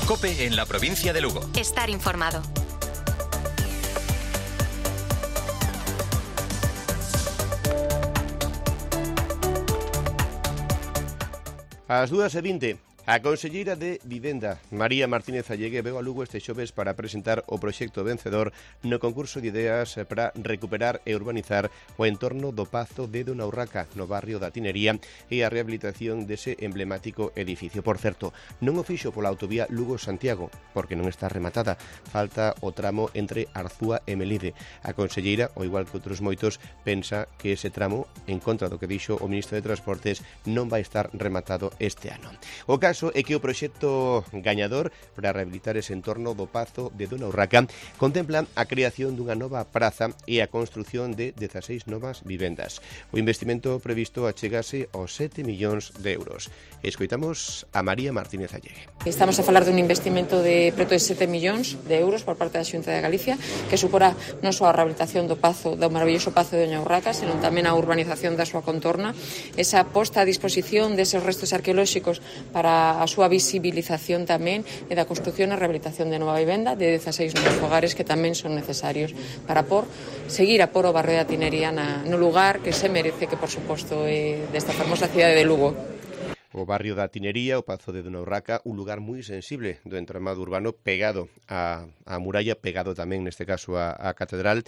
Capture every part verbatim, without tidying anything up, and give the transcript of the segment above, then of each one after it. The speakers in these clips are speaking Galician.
COPE en la provincia de Lugo. Estar informado. Ás dúas e vinte, a conselleira de Vivenda, María Martínez Allegue, veu a Lugo este xoves para presentar o proxecto vencedor no concurso de ideas para recuperar e urbanizar o entorno do Pazo de Dona Urraca, no barrio da Tinería, e a rehabilitación dese emblemático edificio. Por certo, non o fixo pola autovía Lugo-Santiago, porque non está rematada. Falta o tramo entre Arzúa e Melide. A conselleira, ao igual que outros moitos, pensa que ese tramo, en contra do que dixo o ministro de Transportes, non vai estar rematado este ano. O caso é que o proxecto gañador para rehabilitar ese entorno do Pazo de Dona Urraca contempla a creación dunha nova praza e a construción de dezaseis novas vivendas. O investimento previsto achegase aos sete millóns de euros. Escoitamos a María Martínez Allegue. Estamos a falar dun investimento de preto de sete millóns de euros por parte da Xunta de Galicia, que suporá non só a rehabilitación do Pazo, do maravilloso Pazo de Dona Urraca, senón tamén a urbanización da súa contorna, esa posta a disposición deses restos arqueolóxicos para a súa visibilización tamén e da construción e rehabilitación de nova vivenda de dezaseis novos fogares que tamén son necesarios para por seguir a por o barrio da Tinería na, no lugar que se merece, que por suposto é desta fermosa cidade de Lugo. O barrio da Tinería, o Pazo de Dona Urraca, un lugar moi sensible do entramado urbano, pegado á, á muralla, pegado tamén neste caso á, á catedral.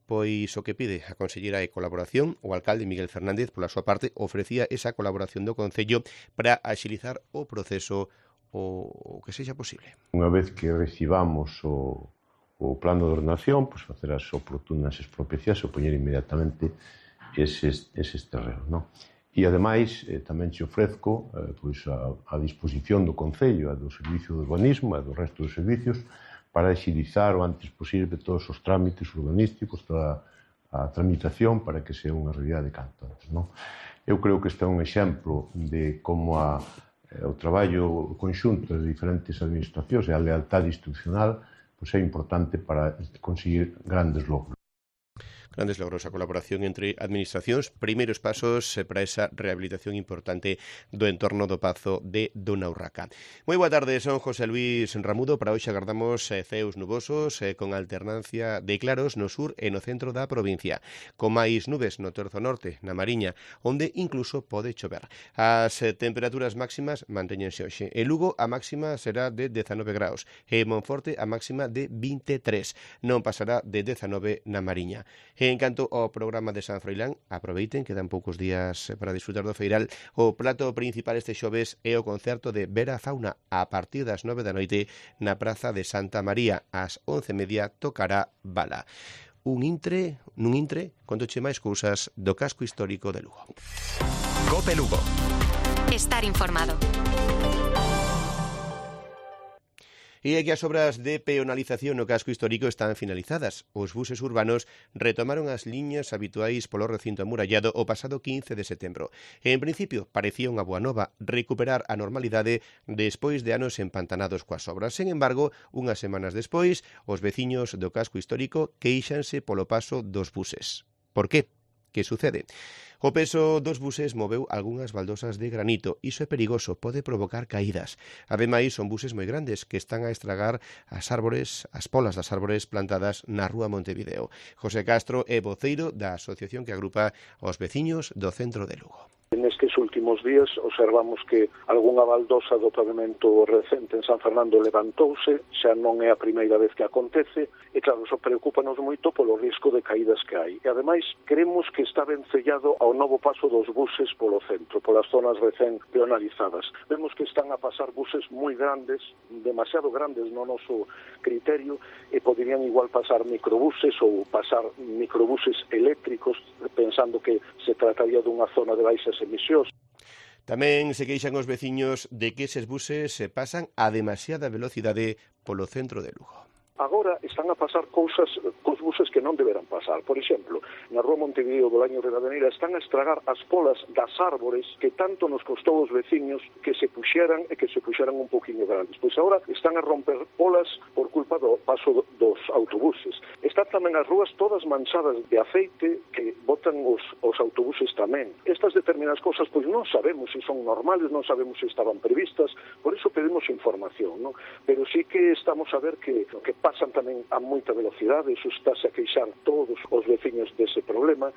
Pois o que pide a conselleira é colaboración. O alcalde Miguel Fernández, pola súa parte, ofrecía esa colaboración do Concello para axilizar o proceso o que sexa posible. Unha vez que recibamos o, o plano de ordenación, pois facer as oportunas expropiacións e poñer inmediatamente eses, eses terrenos, non? E, ademais, eh, tamén te ofrezco eh, pois a, a disposición do Concello, a do Servicio de Urbanismo e do resto dos servicios, para agilizar o antes posible todos os trámites urbanísticos, toda a tramitación para que sea unha realidade canto antes, non? Eu creo que este é un exemplo de como a, o traballo conxunto de diferentes administracións e a lealtade institucional pois é importante para conseguir grandes logros. Grandes logros, a colaboración entre administracións, primeiros pasos para esa rehabilitación importante do entorno do Pazo de Dona Urraca. Moi boa tarde, son José Luis Ramudo. Para hoxe agardamos ceos nubosos con alternancia de claros no sur e no centro da provincia, con máis nubes no terzo norte, na Mariña, onde incluso pode chover. As temperaturas máximas mantéñense hoxe. En Lugo a máxima será de dezanove graus e en Monforte a máxima de vinte e tres. Non pasará de dezanove na Mariña. En canto ao programa de San Froilán, aproveiten, quedan poucos días para disfrutar do feiral. O prato principal este xoves é o concerto de Vera Fauna a partir das nove da noite na Praza de Santa María. Ás once e media tocará Bala. Un intre, nun intre, contoche máis cousas do casco histórico de Lugo. COPE Lugo. Estar informado. E é que as obras de peonalización no casco histórico están finalizadas. Os buses urbanos retomaron as liñas habituais polo recinto amurallado o pasado quince de setembro. En principio, parecía unha boa nova recuperar a normalidade despois de anos empantanados coas obras. Sen embargo, unhas semanas despois, os veciños do casco histórico queixanse polo paso dos buses. Por qué? Que sucede? O peso dos buses moveu algunhas baldosas de granito. Iso é perigoso, pode provocar caídas. Ademais, son buses moi grandes que están a estragar as árbores, as polas das árbores plantadas na rúa Montevideo. José Castro é voceiro da asociación que agrupa os veciños do centro de Lugo. Nestes últimos días observamos que algunha baldosa do pavimento recente en San Fernando levantouse, xa non é a primeira vez que acontece, e claro, iso preocúpanos moito polo risco de caídas que hai. E ademais, queremos que está ben sellado ao novo paso dos buses polo centro, polas zonas recén peonalizadas. Vemos que están a pasar buses moi grandes, demasiado grandes no noso criterio, e poderían igual pasar microbuses ou pasar microbuses eléctricos, pensando que se trataría dunha zona de baixas emisións. Tamén se queixan os veciños de que eses buses se pasan a demasiada velocidade polo centro de Lugo. agora están a pasar cousas cos buses que non deberán pasar. Por exemplo, na Rúa Montevideo do Laño Rivadeneira están a estragar as polas das árbores que tanto nos costou os veciños que se puxeran e que se puxeran un poquinho grandes. Pois agora están a romper polas por culpa do paso dos autobuses. Están tamén as rúas todas manchadas de aceite que botan os, os autobuses tamén. Estas determinadas cosas pois non sabemos se son normales, non sabemos se estaban previstas, por iso pedimos información, non? Pero sí que estamos a ver que, que pasan tamén a moita velocidade, iso estáse a queixar todos os veciños dese problema.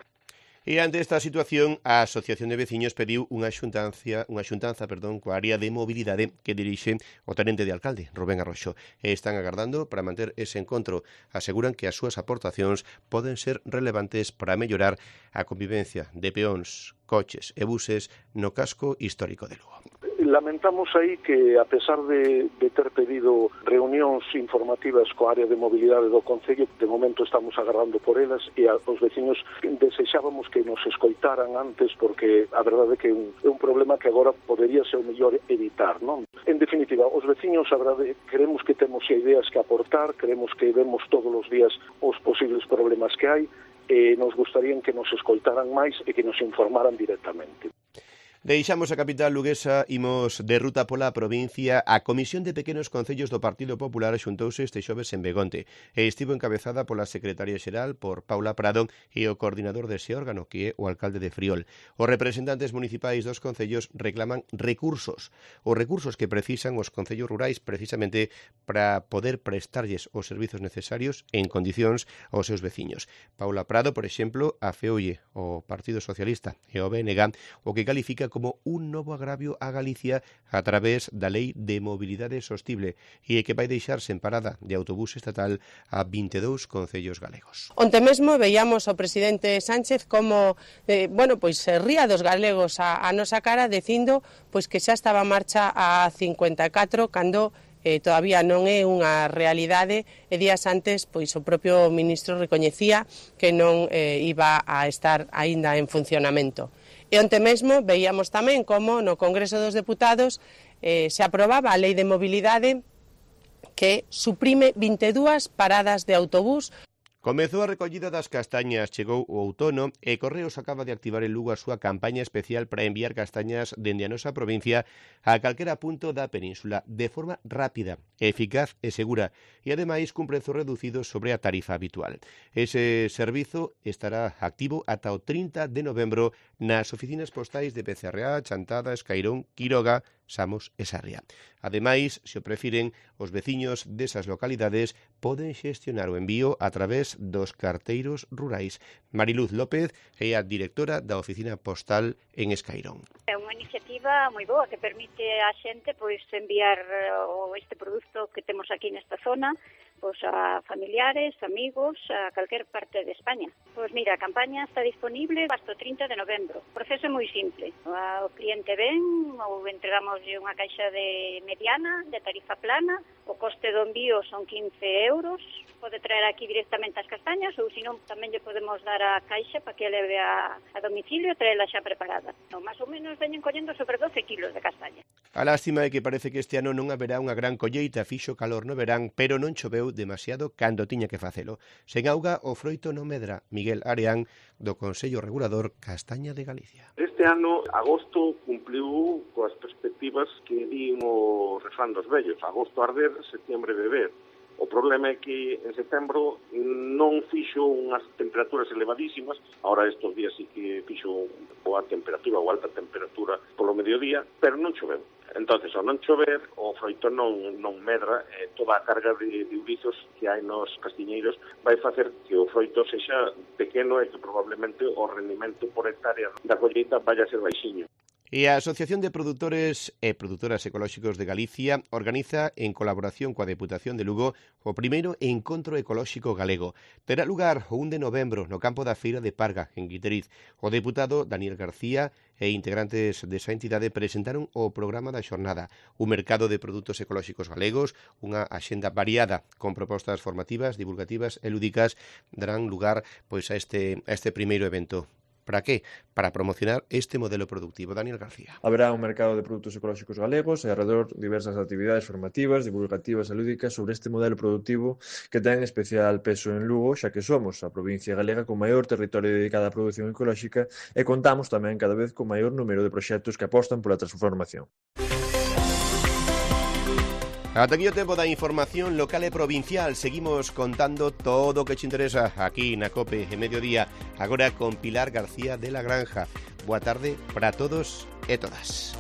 E ante esta situación, a Asociación de Veciños pediu unha xuntanza, unha xuntanza, perdón, coa área de mobilidade que dirixe o tenente de alcalde, Rubén Arroxo, e están agardando para manter ese encontro. Aseguran que as súas aportacións poden ser relevantes para mellorar a convivencia de peóns, coches e buses no casco histórico de Lugo. Lamentamos aí que, a pesar de, de ter pedido reunións informativas coa área de mobilidade do Concello, de momento estamos agardando por elas e a, os veciños desexábamos que nos escoitaran antes porque a verdade é que é un, é un problema que agora podería ser o mellor evitar, non? En definitiva, os veciños, a verdade, queremos que temos ideas que aportar, queremos que vemos todos os días os posibles problemas que hai e nos gustaría que nos escoitaran máis e que nos informaran directamente. Deixamos a capital luguesa, imos de ruta pola provincia. A Comisión de Pequenos Concellos do Partido Popular xuntouse este xoves en Begonte e estivo encabezada pola secretaria xeral, por Paula Prado, e o coordinador dese órgano, que é o alcalde de Friol. Os representantes municipais dos concellos reclaman recursos, os recursos que precisan os concellos rurais precisamente para poder prestarlles os servizos necesarios en condicións aos seus veciños. Paula Prado, por exemplo, afeoulle o Partido Socialista e o B N G o que califica como un novo agravio a Galicia a través da Lei de Mobilidade Sostible e que vai deixar sen parada de autobús estatal a vinte e dous concellos galegos. Onte mesmo veíamos ao presidente Sánchez como, eh, bueno, pois se ría dos galegos a, a nosa cara dicindo pois que xa estaba en marcha a cincuenta e catro cando eh, todavía non é unha realidade e días antes pois o propio ministro recoñecía que non eh, iba a estar aínda en funcionamento. E onte mesmo veíamos tamén como no Congreso dos Deputados eh, se aprobaba a Lei de Mobilidade que suprime vinte e dúas paradas de autobús. Comezou a recollida das castañas, chegou o outono e Correos acaba de activar en Lugo a súa campaña especial para enviar castañas dende a nosa provincia a calquera punto da península de forma rápida, eficaz e segura e ademais cun prezo reducido sobre a tarifa habitual. Ese servizo estará activo ata o trinta de novembro nas oficinas postais de P C R A, Chantada, Escairón, Quiroga, Samos e Sarria. Ademais, se o prefiren, os veciños desas localidades poden xestionar o envío a través dos carteiros rurais. Mariluz López é a directora da oficina postal en Escairón. É unha iniciativa moi boa que permite á xente pois enviar o este produto que temos aquí nesta zona pois a familiares, amigos, a calquer parte de España. Pois mira, a campaña está disponible hasta o trinta de novembro. O proceso é moi simple. O cliente ven ou entregamoslle unha caixa de mediana, de tarifa plana, o coste do envío son quince euros, pode traer aquí directamente as castañas ou senón tamén lle podemos dar a caixa para que leve a, a domicilio e traela xa preparada. No, máis ou menos veñen collendo sobre doce kilos de castaña. A lástima é que parece que este ano non haberá unha gran colleita, fixo calor no verán, pero non choveu demasiado cando tiña que facelo. Sen auga, o froito non medra. Miguel Areán, do Consello Regulador Castaña de Galicia. Este ano, agosto, cumpliu coas perspectivas que din o refrán dos vellos. Agosto arder, setembro beber. O problema é que en setembro non fixo unhas temperaturas elevadísimas, ahora estes días sí que fixo boa temperatura ou alta temperatura polo mediodía, pero non choveu. Entonces, ao non chover, o froito non, non medra, eh, toda a carga de, de urizos que hai nos castiñeiros vai facer que o froito sexa pequeno e que probablemente o rendimento por hectárea da colleita vaya a ser baixiño. E a Asociación de Produtores e Produtoras Ecolóxicos de Galicia organiza, en colaboración coa Deputación de Lugo, o primeiro Encontro Ecolóxico Galego. Terá lugar o un de novembro no campo da Feira de Parga, en Guiteriz. O deputado Daniel García e integrantes desa entidade presentaron o programa da xornada, un mercado de produtos ecolóxicos galegos, unha axenda variada con propostas formativas, divulgativas e lúdicas darán lugar pois a este, a este primeiro evento. Para qué? Para promocionar este modelo productivo. Daniel García. Haberá un mercado de produtos ecolóxicos galegos e alrededor diversas actividades formativas, divulgativas e lúdicas sobre este modelo productivo que ten especial peso en Lugo, xa que somos a provincia galega con maior territorio dedicado á produción ecolóxica e contamos tamén cada vez con maior número de proxectos que apostan pola transformación. Ata aquí o tempo da información local e provincial. Seguimos contando todo o que te interesa aquí na COPE en Mediodía. Agora con Pilar García de la Granja. Boa tarde para todos e todas.